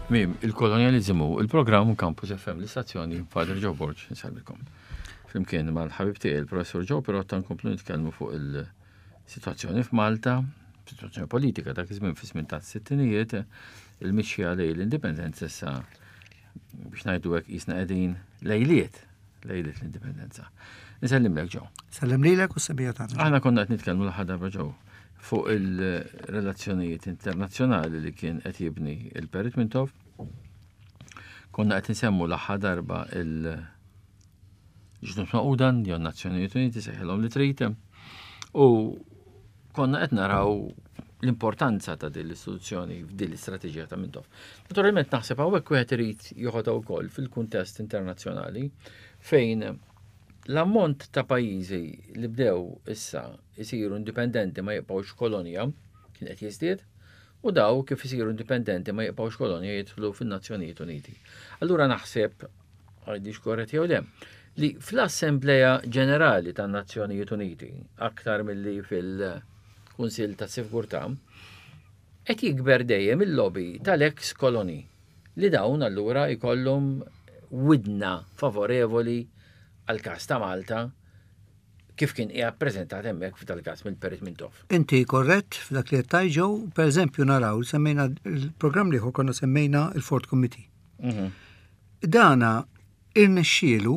Tmiem il-kolonjaliżmu, il-programm Campus FM, l-istazzjoni Father Joe Borg, nsalmikom. Flimkien mal-ħabib tiegħi il-Professur Joe Pirotta nkomplu nitkellmu fuq il-sitwazzjoni f'Malta, sitwazzjoni politika dak iż-żmien fi żmien tas-sittinijiet, il-mixja lejn l-indipendenza issa biex ngħidu hekk qisna qegħdin lejliet lejliet l-indipendenza. Nsellimlek Joe. Sellem lilek u s-sebija tagħna. Aħna konna qed nitkellmu l-aħħar darba Joe fuq il-relazzjonijiet internazzjonali li kien qed jibni il-Perit Mintoff. Konna qed insemmu l-aħħar darba il- Ġnus Magħquda, jew Nazzjonijiet Uniti sejħilhom li trid. U konna qed naraw l-importanza ta' din l-istituzzjoni f'din l-istrateġija ta' Mintoff. Naturalment naħseb hawnhekk wieħed irid joħodha wkoll fil-kuntest internazzjonali fejn l-ammont ta' pajjiżi li bdew issa isiru indipendenti ma jibqgħux kolonja kien qed jiżdied u daw kif isiru indipendenti ma jibqgħux kolonja jidħlu fin-Nazzjonijiet Uniti. Allura naħseb għidix korrett jew le, li fl-Assembleja Ġenerali tan-Nazzjonijiet Uniti, aktar milli fil-Kunsill ta' Sigurtà, qed jikber dejjem il-lobby tal-ex koloni li dawn allura jkollhom widna favorevoli għal każ ta' Malta kif kien qiegħed preżentat hemmhekk f'dal-każ mill-Perit Mintoff. Inti korrett f'dak li qed tgħid Joe, pereżempju naraw semmejna il-programm l-ieħor konna semmejna il-Ford Committee. Mhm. Dana irnexxielu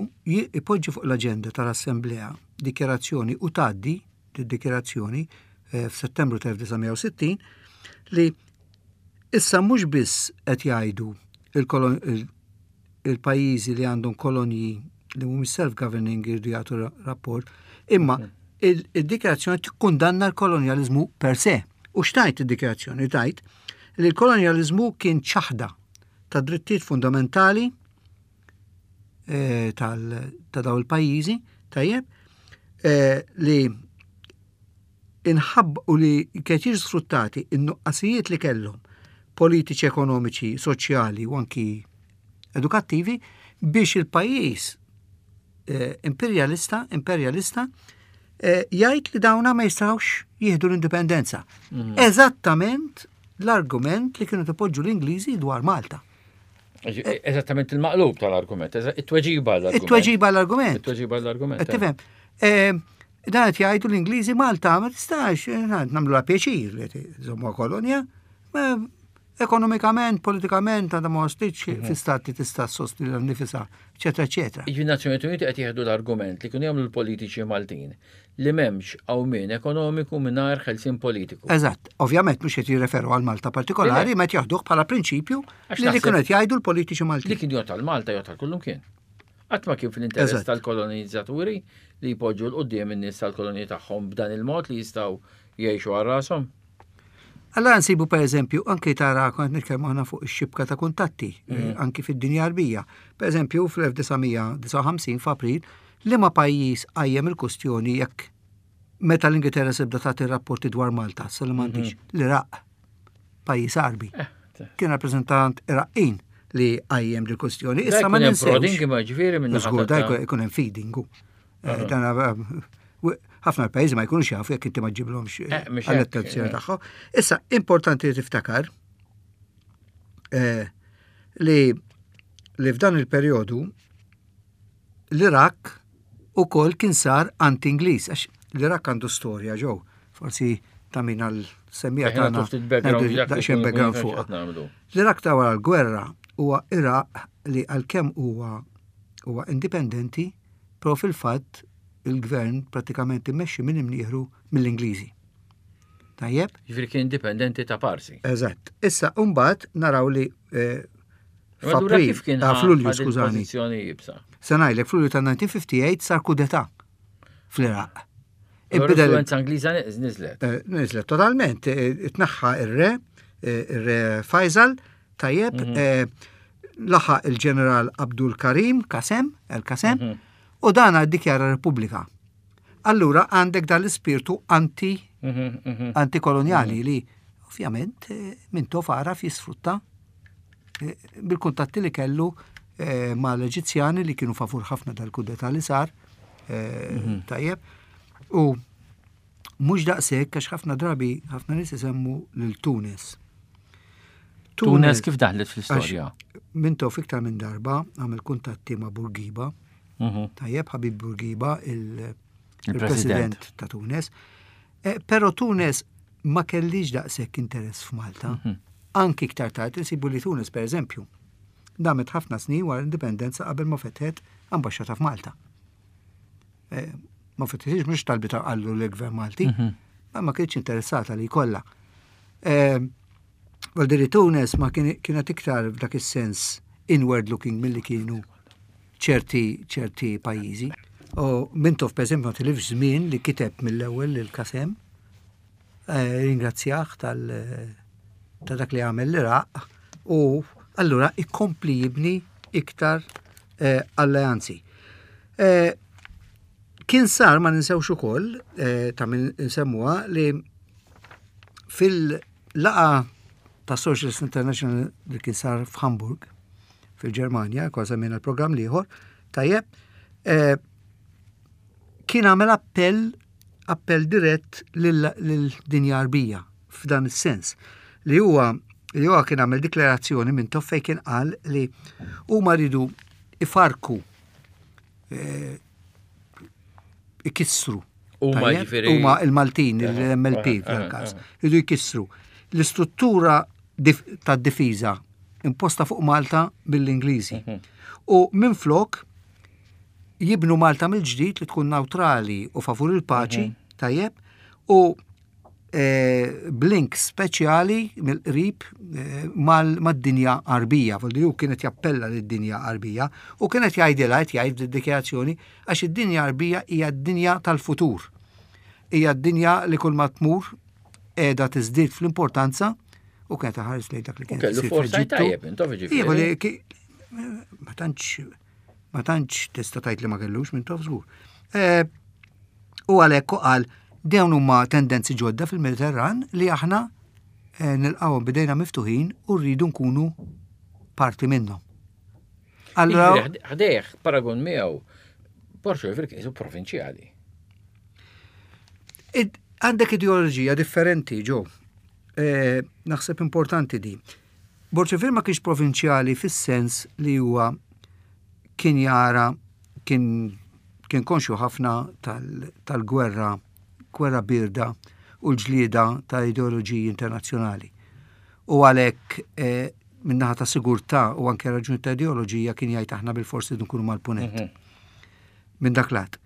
ipoġġi fuq l-aġenda tal-Assemblea dikjarazzjoni u tgħaddi d-dikjarazzjoni eh, f'Settembru tal-1960 li issa mhux biss qed jgħidu il-pajjiżi li għandhom kolonji li mhumiex self-governing irridu jagħtu rapport, imma mhm. il-dikjarazzjoni tikkundanna l-kolonjaliżmu per se. U x'tajt id-dikjarazzjoni? Tajt li l-kolonjaliżmu kien ċaħda ta' drittijiet fundamentali eh, ta' daw il-pajjiżi, tajjeb, eh, li inħabb u li kienet jiġu sfruttati in-nuqqasijiet li kellhom politiċi, ekonomiċi, soċjali u anki edukattivi biex il-pajjiż eh, imperialista, imperjalista eh, jgħid li dawna ma jistgħux jieħdu l-indipendenza. Mhm. Eżattament l-argument li kienu tipoġġu l-Ingliżi dwar Malta. Eh, eżattament il-maqlub tal-argument, it-tweġiba l-argument. It-tweġiba l-argument. It-tweġiba l-argument. Tifhem. Eh, dan qed jgħidu l-Ingliżi Malta ma tistax, nagħmlu la pjaċir li żommu kolonja, Ekonomikament, politikament, għadha ma waslitx mhm. fi stat li tista' ssostni l nifisha, eċetera, eċetera. Il-Nazzjonijiet Uniti qed jieħdu l-argument li kienu jagħmlu l-politiċi Maltin li m'hemmx qawmien ekonomiku mingħajr ħelsien politiku. Eżatt, ovvjament mhux qed jirreferu għal Malta partikolari, ma qed jaħduh bħala prinċipju li li kienu qed jgħidu l-politiċi Maltin. Li kien jgħod għal Malta jgħod għal kullum kien. Qatt ma kien fl-interess tal-kolonizzaturi li jpoġġu l-qudiem in-nies tal-kolonji tagħhom b'dan il-mod li jistgħu jgħixu għal rashom. Allora nsibu per eżempju, anki tara kont nitkellmu aħna fuq ix-xibka ta' kuntatti, eh, mm. anki fid-dinja Arbija. Per eżempju, fl-1959 f'April, liema pajjiż qajjem il-kustjoni jekk meta l-Ingilterra sebda tagħti rapporti dwar Malta, sa li m'għandix, mhm. l-Iraq, pajjiż Arbi. Eh, Kien rappreżentant Iraqqin li qajjem dil-kustjoni. Issa ma ninsewx. Ma ġifieri minn Żgur, da jkun hemm feeding. Eh, dan eh, ħafna pajjiżi ma jkunux jafu jekk inti ma ġiblhomx eh, għall-attenzjoni tagħhom. Issa importanti li tiftakar li li f'dan il-perjodu l-Irak ukoll kien sar anti-Ingliż, għax l-Irak għandu storja ġew, forsi ta' min għal semmija tagħna daqsxejn background fuq. L-Irak ta' wara l-gwerra huwa Iraq li għalkemm huwa huwa indipendenti Però fil-fatt il-gvern prattikament immexxi minn imnieħru mill-Ingliżi. Tajjeb? Ġifieri kien indipendenti ta' parsi. Eżatt. Issa mbagħad naraw li eh, f'April, kif kien ah, f'Lulju, skużani. Se ngħidlek f'Lulju ta' 1958 sar kudeta fl-Iraq. L-influenza Ingliża niżlet. Eh, niżlet totalment. Eh, tnaħħa ir-re, ir-re Faisal, Tajjeb, mhm. eh, laħaq il-ġeneral Abdul Karim Kasem, El Kasem, mhm. u dan dikjara Repubblika. Allura għandek dan l-ispirtu anti mhm, antikoloniali li ovvjament eh, minn tof għaraf jisfrutta eh, bil-kuntatti li kellu ma l-Eġizzjani li kienu favur ħafna dal-kudeta li sar, tajjeb. U Mhux daqshekk għax ħafna drabi ħafna nies isemmu lil Tunis. Tunes kif daħlet fl-istorja? Mintoff iktar minn darba għamel kuntatti ma' Bourguiba. Tajjeb, Habib Bourguiba, il-president ta' Tunes. Eh, però Tunes ma kellix daqshekk interess f'Malta. Anki iktar tard insibu li Tunes, per eżempju, damet ħafna snin wara l-indipendenza qabel ma fetħet ambaxxata f'Malta. Eh, ma fetħitx mhux talbi ta' qallu l-gvern Malti, mhm. ma ma kienx interessata li jkollha. Eh, Valdiri Tunes ma kienet iktar f'dak is-sens inward looking milli kienu ċerti ċerti pajjiżi. U Mintoff per eżempju ma tilifx żmien li kiteb mill-ewwel lil Kasem, eh, ringrazzjah tal ta' dak li għamel l-Iraq u allura ikompli jibni iktar eh, alleanzi. Eh, kien sar ma ninsewx ukoll ta' min nsemmuha li fil-laqa ta' Socialist International li kien sar f'Hamburg fil-Ġermanja, kważi minn il-programm liħor, tajjeb, eh, kien għamel appell appell dirett lil-dinja Arbija f'dan is-sens li huwa li huwa kien għamel diklarazzjoni minn toffej kien qal li huma ridu ifarku eh, ikissru. Huma jiġifieri. Huma il-Maltin, il-MLP fil-każ, ridu jkissru l-istruttura tad-difiża imposta fuq Malta mill-Ingliżi. Mhm. U minflok jibnu Malta mill-ġdid li tkun neutrali u favur il-paċi, mhm. tajjeb, u eh, blink speċjali mill-qrib eh, mad-dinja Arbija, voldi hu kienet jappella lid-dinja Arbija u kienet jgħidilha qed jgħid dikjarazzjoni għax id-dinja Arbija hija d-dinja tal-futur. Hija d-dinja li kull ma tmur qiegħda tiżdied fl-importanza u kienet ħares lejn dak li kien. Kellu forsa tajjeb, intom ġifieri. Ma tantx ma tantx tista' tgħid li ma kellux minn tof żgur. Eh, u għalhekk qal dawn huma tendenzi ġodda fil-Mediterran li aħna eh, nilqgħuhom bidejna miftuħin u rridu nkunu parti minnhom. Allora, ħdejh paragon miegħu Borxo jifri kiesu provinċjali. Għandek ideoloġija differenti, ġo. Eh, naħseb importanti di. Borċevir ma kienx provinċjali fis-sens li huwa kien jara kien kien konxju ħafna tal-gwerra, gwerra birda u l-ġlieda ta' ideoloġiji internazzjonali. U għalhekk eh, minnaħa ta' sigurtà u anke raġuni ta' ideoloġija kien jgħid aħna bil-forsi nkunu mal-punent. Mhm. Minn dak lat.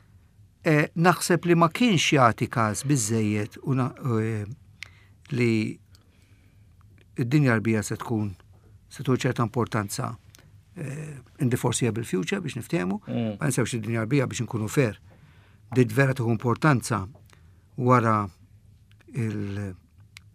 Eh, naħseb li ma kienx jagħti każ biżejjed u eh, li id-dinja arbija se tkun se tkun ċerta importanza eh, in the foreseeable future biex niftehmu, mm. ma nsewx id-dinja arbija biex nkunu fair. Dit vera tuħu importanza wara il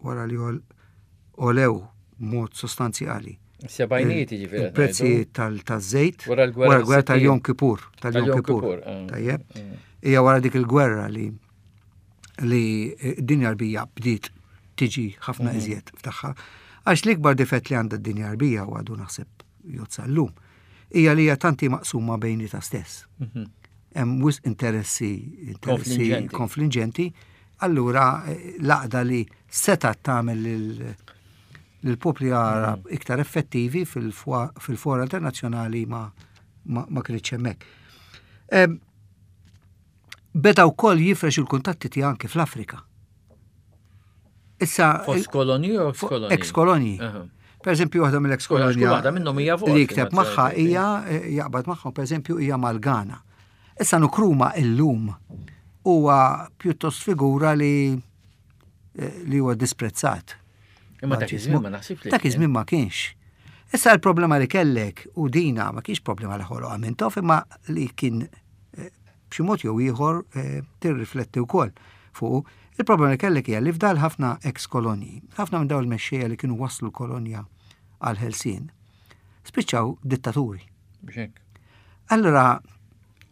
wara li olew mod sostanzjali Sebajnijiet jiġifieri. Il-prezzijiet tal-żejt. Wara l-gwerra tal-Jom Kippur. Tal-Jom Kippur. Eh. Tajjeb. Mm. Hija wara dik il-gwerra li li d-dinja arbija bdiet tiġi ħafna mm. iżjed f'tagħha. Għax l-ikbar difett li għandha d-dinja arbija u għadu naħseb jozza llum hija li hija tanti maqsuma bejnietha stess. Mhm. Hemm wisq interessi interessi konfliġenti, allura eh, l-għaqda li setgħet tagħmel lill-popli Għarab mm. iktar effettivi fil-fora internazzjonali ma, ma, ma kienx hemmhekk. Beda wkoll jifrex il-kuntatti tiegħu anke fl-Afrika. Issa Fost kolonji u ex kolonji? Ex kolonji. Per eżempju, waħda mill-ex kolonja. Waħda minnhom hija Li jikteb magħha hija eh, jaqbad magħhom, per eżempju, hija mal-Ghana. Issa Nkrumah illum huwa pjuttost figura li eh, li huwa disprezzat. Imma dak iż-żmien ma naħsibx li. Dak iż-żmien ma kienx. Issa l-problema li kellek u dina ma kienx problema li ħoloq Mintoff imma li kien eh, b'xi mod jew ieħor eh, tirrifletti wkoll fuq. Il-problema li kellek hija li fdal ħafna ex kolonji, ħafna minn dawn il-mexxejja li kienu waslu l-kolonja għal ħelsien, spiċċaw dittaturi. Allora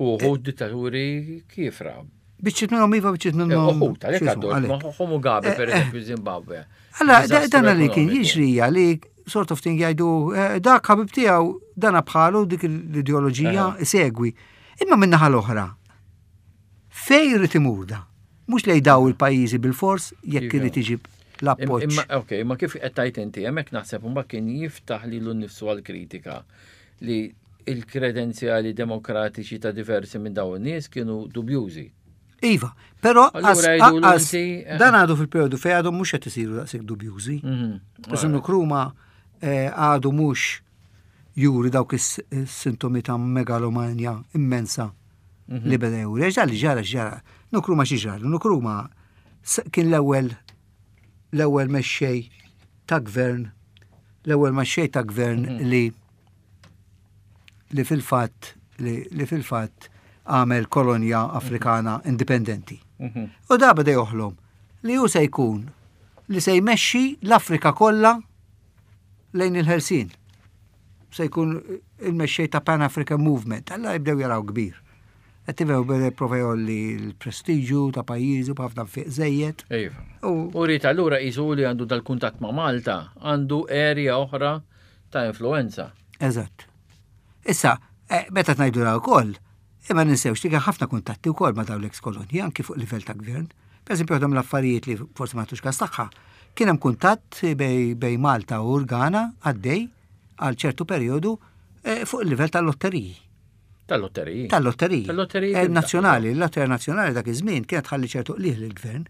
U uħud dittaturi kiefra. Biċċiet minnhom iva, biċċiet eh, minnhom. Uħud, għalhekk għaddu, ma Mugabe eh, per eh. eżempju Zimbabwe. Allora, dan li kien jiġri li sort of thing jgħidu dak ħabib tiegħu dana bħalu dik l-ideoloġija segwi. Imma minnaħa l-oħra, fej irid imur da? Mhux lej daw il-pajjiżi bil-fors jekk irid iġib. l-appoġġ. Imma ok, ma kif qed tgħid inti, hemmhekk naħseb imbagħad kien jiftaħ lilu nnifsu għall-kritika li il-kredenzjali demokratiċi ta' diversi minn dawn in-nies kienu dubjużi. Iva, però eh. dan għadu fil-periodu fej għadu mhux qed isiru daqshekk dubjużi. Mhm. Iżda Nkrumah eh, għadu mhux juri dawk is-sintomi ta' megalomania immensa mhm. li beda juri. Għax li ġara ġara. Nkrumah xi ġara? Nkrumah kien l-ewwel l-ewwel mexxej ta' gvern l-ewwel mexxej ta' gvern mhm. li li fil-fatt li fil-fatt għamel kolonja Afrikana indipendenti. Mhm. U da beda joħlom li hu se jkun li se jmexxi l-Afrika kollha lejn il-ħelsien. Se jkun il-mexxej ta' Pan African Movement. Alla jibdew jaraw kbir. Qed tifhem beda jipprova jgħolli l-prestiġju ta' pajjiżu b'ħafna nfiq żejjed. Iva. U rrid allura qisu li għandu dal-kuntatt ma' Malta, għandu area oħra ta' influenza. Eżatt. Issa, eh, meta tnajdu ra wkoll, imma ninsewx li kien ħafna kuntatti wkoll ma' dawn l-ex kolonji anki fuq livell ta' gvern. Per eżempju, waħda mill-affarijiet li forsi ma tux każ tagħha, kien hemm kuntatt bej, bej Malta u l-Ghana għaddej għal ċertu perjodu eh, fuq il-livell tal-lotteriji. Tal-lotteriji. Tal-lotteriji. Tal-lotteriji. Eh, nazzjonali, l-lotterija nazzjonali dak iż-żmien kienet tħalli ċertu qlih lill-gvern.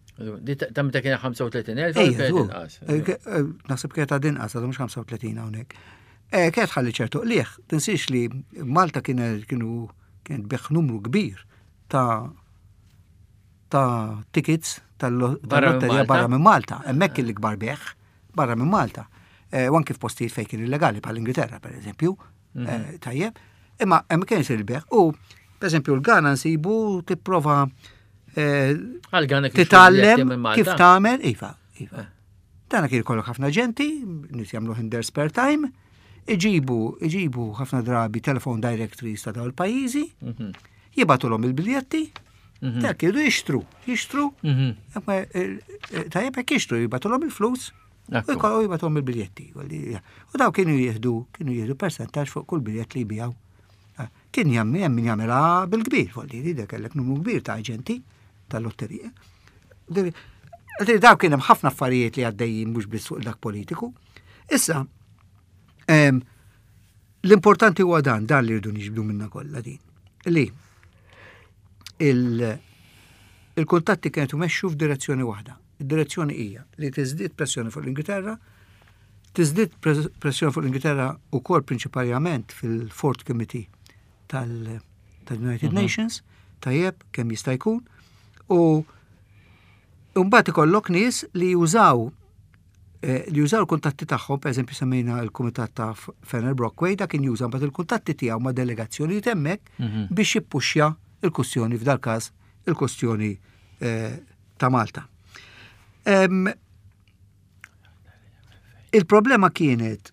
Ta' meta kien 35,000 kienet inqas. Eh, eh, naħseb kienet għad inqas, għadu mhux 35 hawnhekk. Kienet tħalli ċertu qlih, tinsiex li Malta kienu kien biħ numru kbir ta' ta' tickets tal-lotterija barra minn Malta. Hemmhekk il-ikbar beħ barra minn Malta. U anki f'postijiet fejn kien illegali bħal Ingilterra, per eżempju. Mhm. Eh, tajjeb, imma hemm kien isir il-beħ u per eżempju l-Gana nsibu tipprova eh, titgħallem kif tagħmel, iva, iva. Eh. Dana kien ikollok ħafna ġenti, nies jagħmlu in their spare time, iġibu, iġibu ħafna drabi telephone directories ta' dawn il-pajjiżi, mhm. jibatulhom il-biljetti, mhm. dak kienu jixtru, jixtru, tajjeb hekk jixtru, jibatulhom il-flus, U jkollu jibatom il-biljetti. U daw kienu jieħdu, kienu jieħdu percentaġġ fuq kull biljett li jbijaw. Ah, kien jammi hemm min jagħmilha bil-kbir, folli li kellek numru kbir ta' aġenti tal-lotterija. Daw kien hemm ħafna affarijiet li għaddejjin mhux biss fuq dak politiku. Issa, l-importanti huwa dan, dan li rridu niġbdu minna kollha din. Li il-kuntatti kienet imexxu f'direzzjoni waħda. Id-direzzjoni hija li tiżdied pressjoni fuq l-Ingilterra, tiżdied pressjoni fuq l-Ingilterra wkoll prinċipalment fil-Fourth Committee tal-United mhm. Nations, tajjeb kemm jista' jkun, u mbagħad ikollok nies li jużaw eh, li jużaw il-kuntatti tagħhom, per eżempju semmejna l-kumitat ta' Fener Brockway, dak kien juża mbagħad il-kuntatti tiegħu ma' delegazzjonijiet hemmhekk mhm. biex jippuxja il-kustjoni f'dal każ il-kustjoni eh, ta' Malta. Il-problema kienet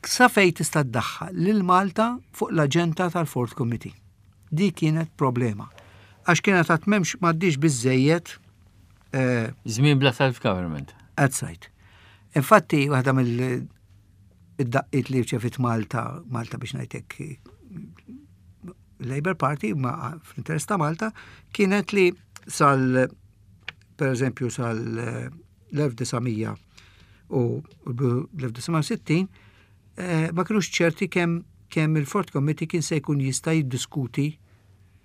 sa fej tista' ddaħħal lil Malta fuq l-aġenda tal-Fourth Committee. Di kienet problema. Għax kienet għat memx maddix biżejjed. Eh, Żmien bla self-government. That's right. Infatti, waħda mill id-daqqiet li rċevit Malta, Malta biex ngħidlek Labour Party, ma fl-interess ta' Malta, kienet li sal, per eżempju, sal l-1900 u l-1960, eh, ma kienux ċerti kemm kemm il-Fort Committee kien se jkun jista' jiddiskuti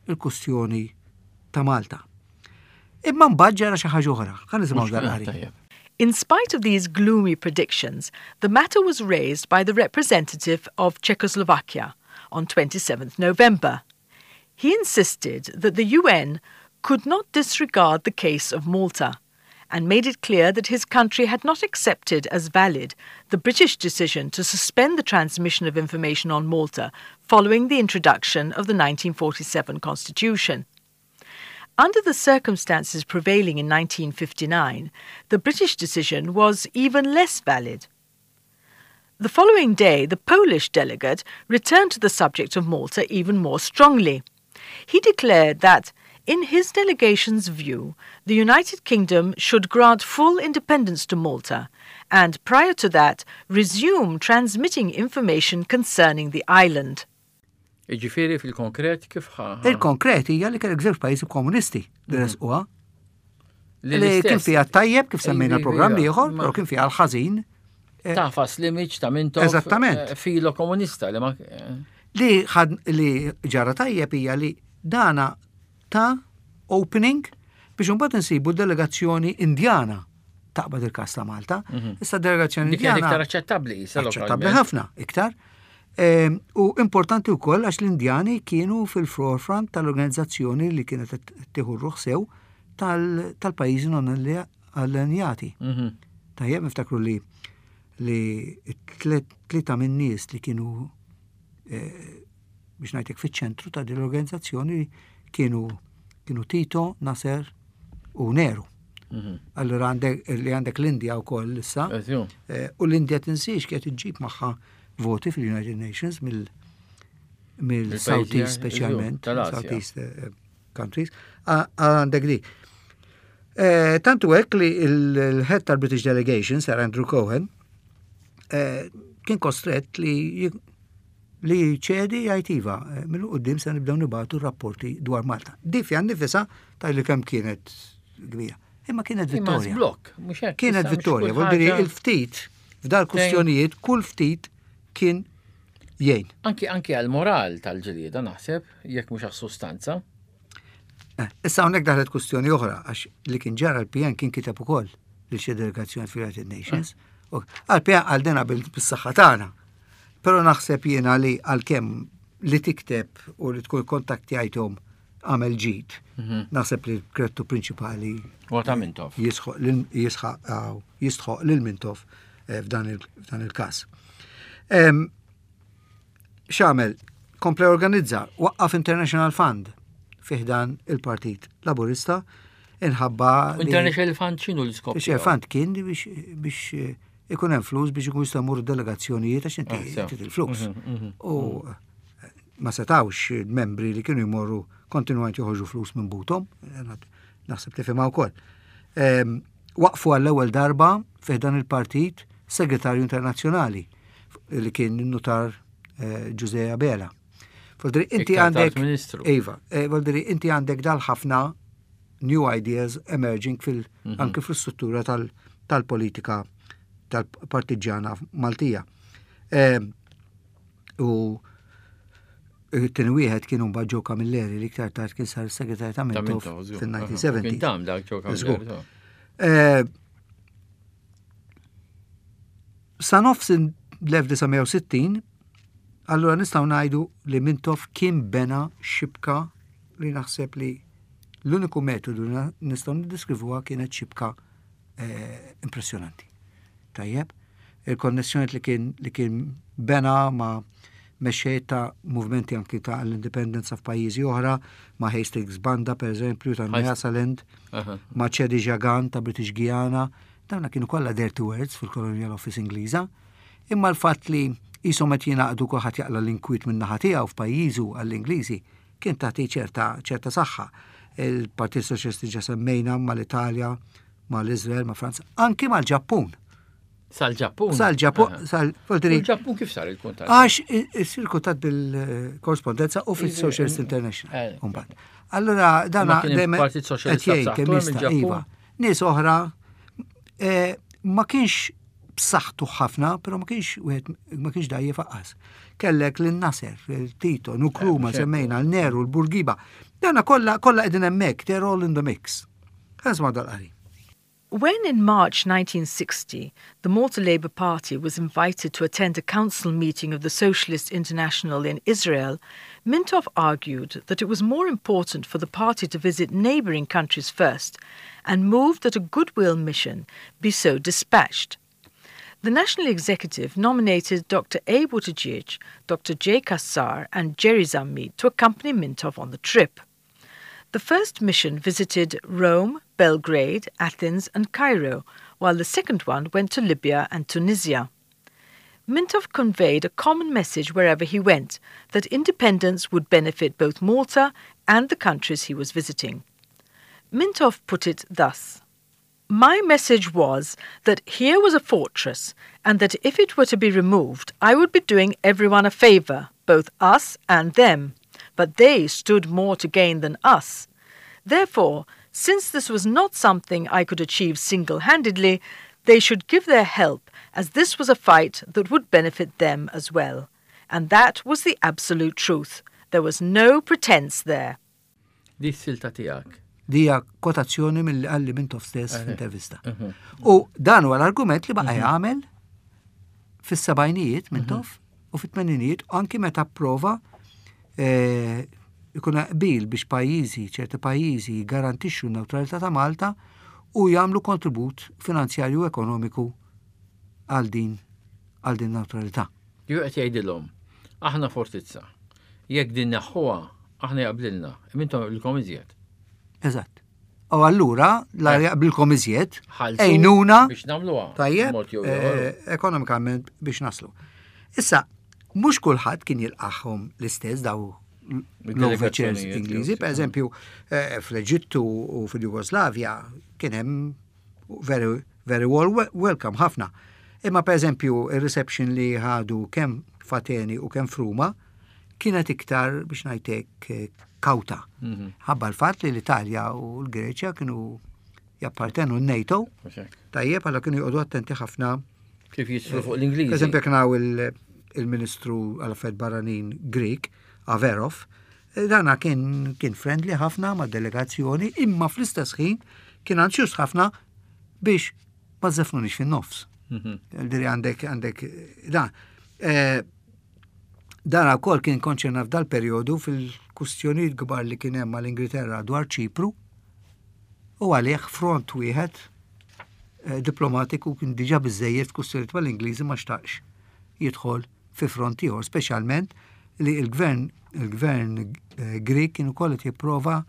il-kustjoni ta' Malta. Imma mbagħad ġara xi ħaġa oħra. Ħa nisimgħu dal-qari. In spite of these gloomy predictions, the matter was raised by the representative of Czechoslovakia on 27th November. He insisted that the UN could not disregard the case of Malta and made it clear that his country had not accepted as valid the British decision to suspend the transmission of information on Malta following the introduction of the 1947 Constitution. Under the circumstances prevailing in 1959, the British decision was even less valid. The following day, the Polish delegate returned to the subject of Malta even more strongly. He declared that, in his delegation's view, the United Kingdom should grant full independence to Malta and, prior to that, resume transmitting information concerning the island. Jiġifieri fil-konkret kif ħa. Il-konkret hija li kellek żewġ pajjiżi komunisti li mhm. resquha. Li kien fiha tajjeb kif semmejna l-programm ieħor, però kien fiha l-ħażin. Eh, Tafas l-image ta' Mintoff. Eżattament. Eh, filo komunista li ma. Eh. Li ħad li ġara tajjeb hija li dana ta' opening biex imbagħad insibu delegazzjoni Indjana taqbad il-kas ta' Malta. Mhm. Issa delegazzjoni Indjana. Iktar aċċettabbli, Aċċettabbli ħafna, iktar. Ehm, u importanti wkoll għax l-Indjani kienu fil-forefront tal-organizzazzjoni li kienet tieħu ruħ sew tal-pajjiżi non allenjati. Mhm. Tajjeb niftakru li li tlieta minn nies li kienu eh, biex ngħidlek fiċ-ċentru ta' din l-organizzazzjoni kienu kienu Tito, Nasser u Nehru. Mhm. Allura għandek li għandek l-Indja wkoll issa. Eh, u l-Indja tinsiex kienet iġġib magħha voti fil-United Nations mill mill-Southeast speċjalment, Southeast eh, countries, għandek di. Eh, tantu hekk li l-head tal-British Delegation, Sir Andrew Cohen, eh, kien kostret li li ċedi jgħid iva, eh, mill qudiem se nibdew nibatu rapporti dwar Malta. Di fiha nifisha tajli kemm kienet kbira. Imma kienet vittorja. Blok, mhux hekk. Kienet vittorja, vuol dire il-ftit f'dal kustjonijiet kull ftit kien jgħin. Anki anki għal moral tal-ġlieda naħseb, jekk mhux għas-sustanza. Eh, issa hawnhekk daħlet kustjoni oħra għax li kien ġara l-PN kien kiteb ukoll lil xi delegazzjoni fil-United Nations. Eh. Għal-PN għal dena bil-saħħa tagħna. Però naħseb jiena li għalkemm li tikteb u li tkun kontaktjajthom għamel ġid. Mhm. Naħseb li l-krettu prinċipali Huwa ta' Mintoff. Jistħoq lil Mintoff eh, f'dan il-każ. X'għamel? Kompla organizza, waqqaf International Fund fiħdan il-Partit Laburista inħabba. International Fund x'inhu l-iskop? International Fund kien biex eh, ikun hemm flus biex ikun jistgħu jmorru delegazzjonijiet għax inti ah, il-flus. Mhm, mhm. U eh, ma setawx il-membri li kienu jmorru kontinwament joħorġu flus minn butom, naħseb tifhimha wkoll. Ehm, waqfu għall-ewwel darba fih dan il-partit segretarju internazzjonali li kien nutar eh, Ġuże Abela. Voldri, inti għandek. Iva, eh, voldri, inti għandek dal-ħafna new ideas emerging fil mhm. anke fl-struttura tal-politika tal-partiġjana Maltija. Ehm, u it-tieni wieħed kien mbagħad Joe Camilleri li iktar tard kien sar segretarju ta' Mintoff fin-1970. Kien dam dak Joe Camilleri. Eh, sa nofs l-1960, allura nistgħu ngħidu li Mintoff kien bena xibka li naħseb li l-uniku metodu li nistgħu niddeskrivuha kienet xibka eh, impressjonanti. Tajjeb, il-konnessjoni li kien li kien bena ma' mexxej ta' movimenti anki ta' l-indipendenza f'pajjiżi oħra, ma' Hastings Banda per eżempju ta' Nyasaland, ma' Chedi Jagan ta' British Guiana, dawna kienu kollha dirty words fil-Colonial Office Ingliża. Imma l-fatt li qishom qed jingħaqdu kulħadd jaqla' l-inkwiet min-naħa tiegħu f'pajjiżu għall-Ingliżi kien tagħti ċerta ċerta saħħa. Il-Partit Soċjalisti ġa semmejna mal-Italja, mal-Iżrael, ma' Franza, anki mal-Ġappun. Sal-Ġappun? Sal-Ġappun, sal Il-Ġappun kif sar il-kuntatt? Għax isir kuntatt bil-korrespondenza u fil-Socialist International. Eh. Mbagħad. Allura dan dejjem Partit Soċjalista kemm jista' iva. Nies oħra eh, ma kienx b'saħħtu ħafna, però ma kienx wieħed ma kienx dajjef aqqas. Kellek lil Nasser, Tito, Nkrumah, eh, semmejna, l-Neru, l-Burgiba. Dana kollha kollha qegħdin hemmhekk, they're all in the mix. Ħa dal-qari. When in March 1960 the Malta Labour Party was invited to attend a council meeting of the Socialist International in Israel, Mintoff argued that it was more important for the party to visit neighbouring countries first and moved that a goodwill mission be so dispatched. The National Executive nominated Dr. A. Buttigieg, Dr. J. Kassar, and Jerry Zammit to accompany Mintoff on the trip. The first mission visited Rome, Belgrade, Athens, and Cairo, while the second one went to Libya and Tunisia. Mintoff conveyed a common message wherever he went that independence would benefit both Malta and the countries he was visiting. Mintoff put it thus My message was that here was a fortress, and that if it were to be removed, I would be doing everyone a favour, both us and them. But they stood more to gain than us. Therefore, Since this was not something I could achieve single-handedly, they should give their help as this was a fight that would benefit them as well. And that was the absolute truth. There was no pretense there. Di silta tiegħek. Dija kwotazzjoni mill qalli Mintoff stess f'intervista. U dan huwa l-argument li baqa' jagħmel fis-sebgħinijiet Mintoff u fit-tmeninijiet anki meta prova eh, ikun qbil biex pajjiżi, ċerti pajjiżi jgarantixxu n-newtralità ta' Malta u jagħmlu kontribut finanzjarju u ekonomiku għal din għal din newtralità. Ju qed jgħidilhom, aħna fortizza. Jekk din neħħuha, aħna jaqblilna, imma jaqblilkom iżjed. Eżatt. U allura, la eh. jaqblilkom iżjed, ejnuna biex nagħmluha. Tajjeb, eh, ekonomikament biex naslu. Issa, mhux kulħadd kien jilqaħħom l-istess daw l-overchairs Ingliżi, per eżempju, eh, fl-Eġittu u fil-Jugoslavja kien hemm very, very well welcome ħafna. Imma per eżempju, il-reception li ħadu kemm f'Ateni u kemm f'Ruma kienet iktar biex ngħidlek eh, kawta. Mhm. Ħabba l-fatt li l-Italja u l-Greċja kienu jappartenu n-NATO. Tajjeb, għalla kienu jqogħdu attenti ħafna. Kif jisru fuq l-Ingliż. Per eżempju, kien il-Ministru għal-Affarijiet Barranin Greek, Averov, eh, dana kien, kien friendly ħafna ma' delegazzjoni, imma fl-istess ħin kien anzjus ħafna biex ma żefnunix fin-nofs. Mhm. Diri għandek għandek da. Eh, dan ukoll kien konċerna f'dal perjodu fil-kustjonijiet kbar li kien hemm mal-Ingilterra dwar Ċipru u għalih front wieħed eh, diplomatiku kien diġà biżejjed f'kustjonijiet mal-Ingliżi ma xtaqx jidħol fi front ieħor, speċjalment li l-gvern il-gvern eh, Grek kien ukoll qed jipprova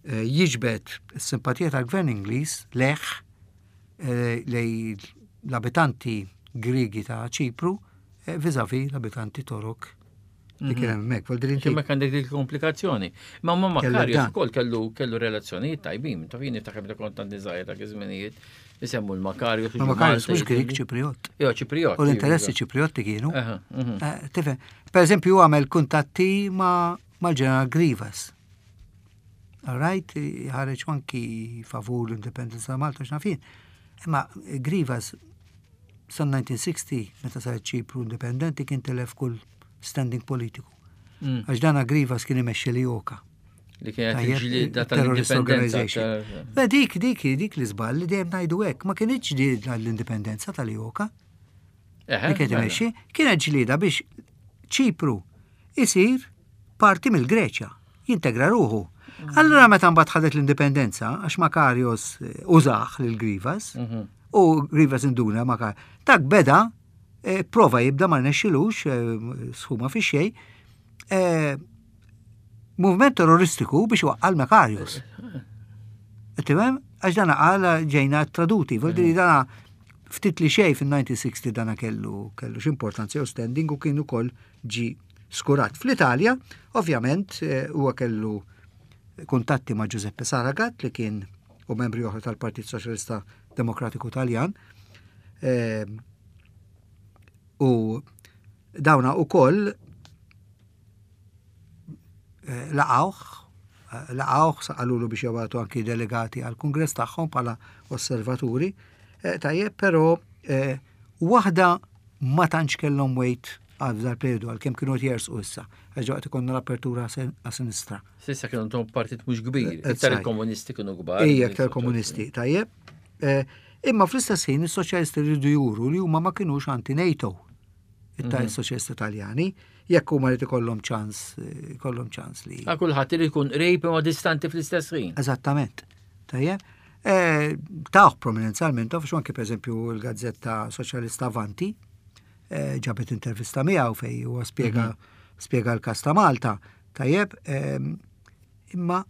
eh, jiġbed is-simpatija tal-gvern Ingliż leħ eh, lej l-abitanti Griegi ta' Ċipru vizavi l-abitanti Torok li kien mhm. hemmhekk. Vuol dire inti. Hemmhekk għandek dik komplikazzjoni. Ma ma Makarios ukoll kellu kellu relazzjonijiet tajbin, ta' jien niftakar meta kont għandi żgħir dak iż-żminijiet. Isemmu l-Makarios. Ma Makarios mhux Grieg Ċipriot. Jo, Ċipriot. U l-interessi Ċipriotti kienu. Mhm. Eh, tifhem, per eżempju għamel kuntatti ma' mal-ġeneral Grivas. All right, ħareġ anki favur l-indipendenza ta' Malta x'nafin. Imma Grivas sa 1960 meta sar Ċipru indipendenti kien telef kull standing politiku. Mm. Għax dana Grivas kien imexxi li joka. Li kienet ġlieda tal-indipendenza. Beh, dik, dik, dik li żball li dejjem ngħidu hekk, ma kienx ġlieda l-indipendenza tal-Joka. Li kienet mela. imexxi, kienet ġlieda biex Ċipru isir parti mill-Greċja, jintegra ruħu. Mm. Allura meta mbagħad ħadet l-indipendenza, għax Makarios eh, użaħ lil Grivas, mhm. u Grivas induna Makar, dak beda, eh, prova jibda ma rnexxilux, eh, sħuma fi xejn, movement terroristiku biex waqqal Makarios. Tifhem? Għax dana qal ġejna traduti, vuol dire dana ftit li xej fin-1960 dana kellu kellu x'importanza jew standing u kien ukoll ġi skurat. Fl-Italja, ovvjament, eh, huwa kellu kuntatti ma' Giuseppe Saragat li kien u membri oħra tal-Partit Soċjalista Demokratiku Taljan. Eh, u dawna u koll eh, laqawh, eh, laqawh saqalulu biex jabatu anki delegati għal kongress tagħhom bħala osservaturi. Eh, tajjeb, però waħda ma tantx kellhom wejt għal dal periodu għalkemm kienu qed jersqu issa, għax waqt ikonna l-apertura għas sinistra. Sissa kienu tom partit mhux kbir, iktar il-komunisti kienu kbar. Ija, iktar komunisti, tajjeb. Imma fl-istess ħin is-soċjalisti rridu juru li huma ma kinux anti-NATO. Is-soċjalisti Taljani, jekk huma li ikollhom ċans, ikollhom ċans li. Għal kulħadd irid ikun qrib imma distanti fl-istess ħin. Eżattament. Tajjeb. Eh, Taħ prominenza għal Mintoff, għax anke pereżempju l-gazzetta Soċjalista Avanti eh, ġabet intervista miegħu fej huwa spjega mhm. spjega l-każ ta' Malta. Tajjeb, ehm, imma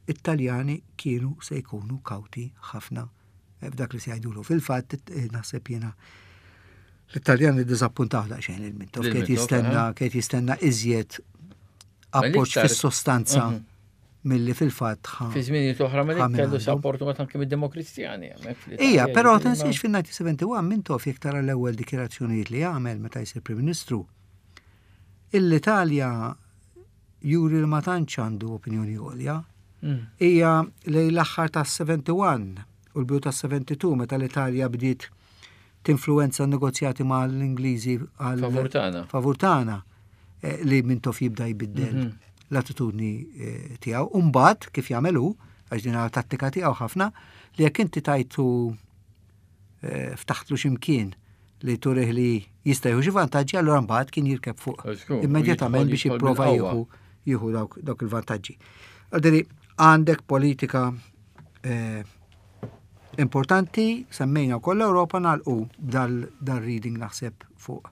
it-Taljani kienu se jkunu kawti ħafna eh, f'dak li se jgħidulu. Fil-fatt, eh, naħseb jiena l-Italjani ddiżappuntaw daqsxejn il-Mintoff, kiet jistenna, kiet jistenna iżjed appoġġ fis-sostanza mhm. milli fil-fatt ħa. Fi żminijiet oħra ma kellu sapportu ma anke mid-Demokristjani. Ija, però tinsiex fin-1971 Mintoff jekk tara l-ewwel dikjarazzjonijiet li għamel meta jsir Prim Ministru. L-Italja juri li ma tantx għandu opinjoni għolja. Hija lejn l-aħħar tas-71 u l-bidu tas-72 meta l-Italja bdiet tinfluwenza n-negozjati mal-Ingliżi għal favur tagħna. Favur tagħna eh, li Mintoff jibda jbiddel mhm. l-attitudni eh, tiegħu. U mbagħad kif jagħmel hu, għax din tattika tiegħu ħafna, li jekk inti tajtu eh, ftaħtlu x'imkien li turih li jista' jieħu xi vantaġġi, allura mbagħad kien jirkeb fuq immedjatament biex jipprova jieħu jieħu dawk il-vantaġġi. Għaldiri, għandek politika eh, importanti, semmejna wkoll l-Ewropa nagħlqu dal-reading naħseb fuq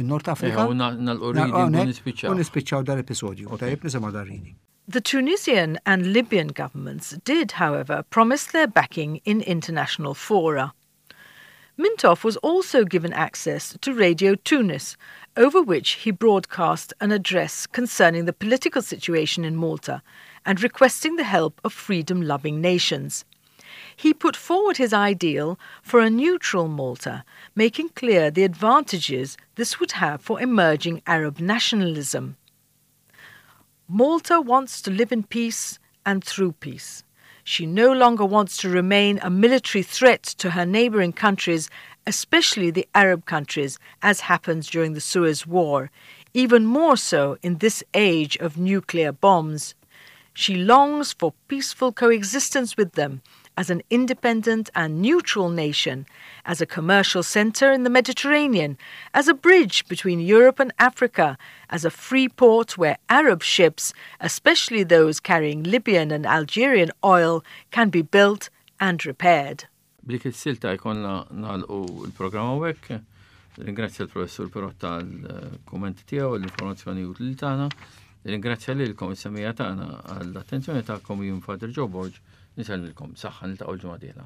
in-Nord Afrika. Nagħlqu reading u nispiċċaw. U nispiċċaw dal-episodju. Tajjeb nisimgħu dal-reading. The Tunisian and Libyan governments did, however, promise their backing in international fora. Mintoff was also given access to Radio Tunis, over which he broadcast an address concerning the political situation in Malta and requesting the help of freedom loving nations. He put forward his ideal for a neutral Malta, making clear the advantages this would have for emerging Arab nationalism. Malta wants to live in peace and through peace. She no longer wants to remain a military threat to her neighboring countries, especially the Arab countries, as happens during the Suez War, even more so in this age of nuclear bombs. She longs for peaceful coexistence with them as an independent and neutral nation, as a commercial center in the Mediterranean, as a bridge between Europe and Africa, as a free port where Arab ships, especially those carrying Libyan and Algerian oil, can be built and repaired. B'dik is-silta jkollna nagħlqu l-programm hawnhekk. Ringrazzja l-professur Perotta għall-kummenti tiegħu l-informazzjoni utli tagħna. Ringrazzja lilkom is-semija tagħna għall-attenzjoni tagħkom jien Father Joe Borg. Nisellmilkom. Saħħa niltaqgħu l-ġimgħa dieħla.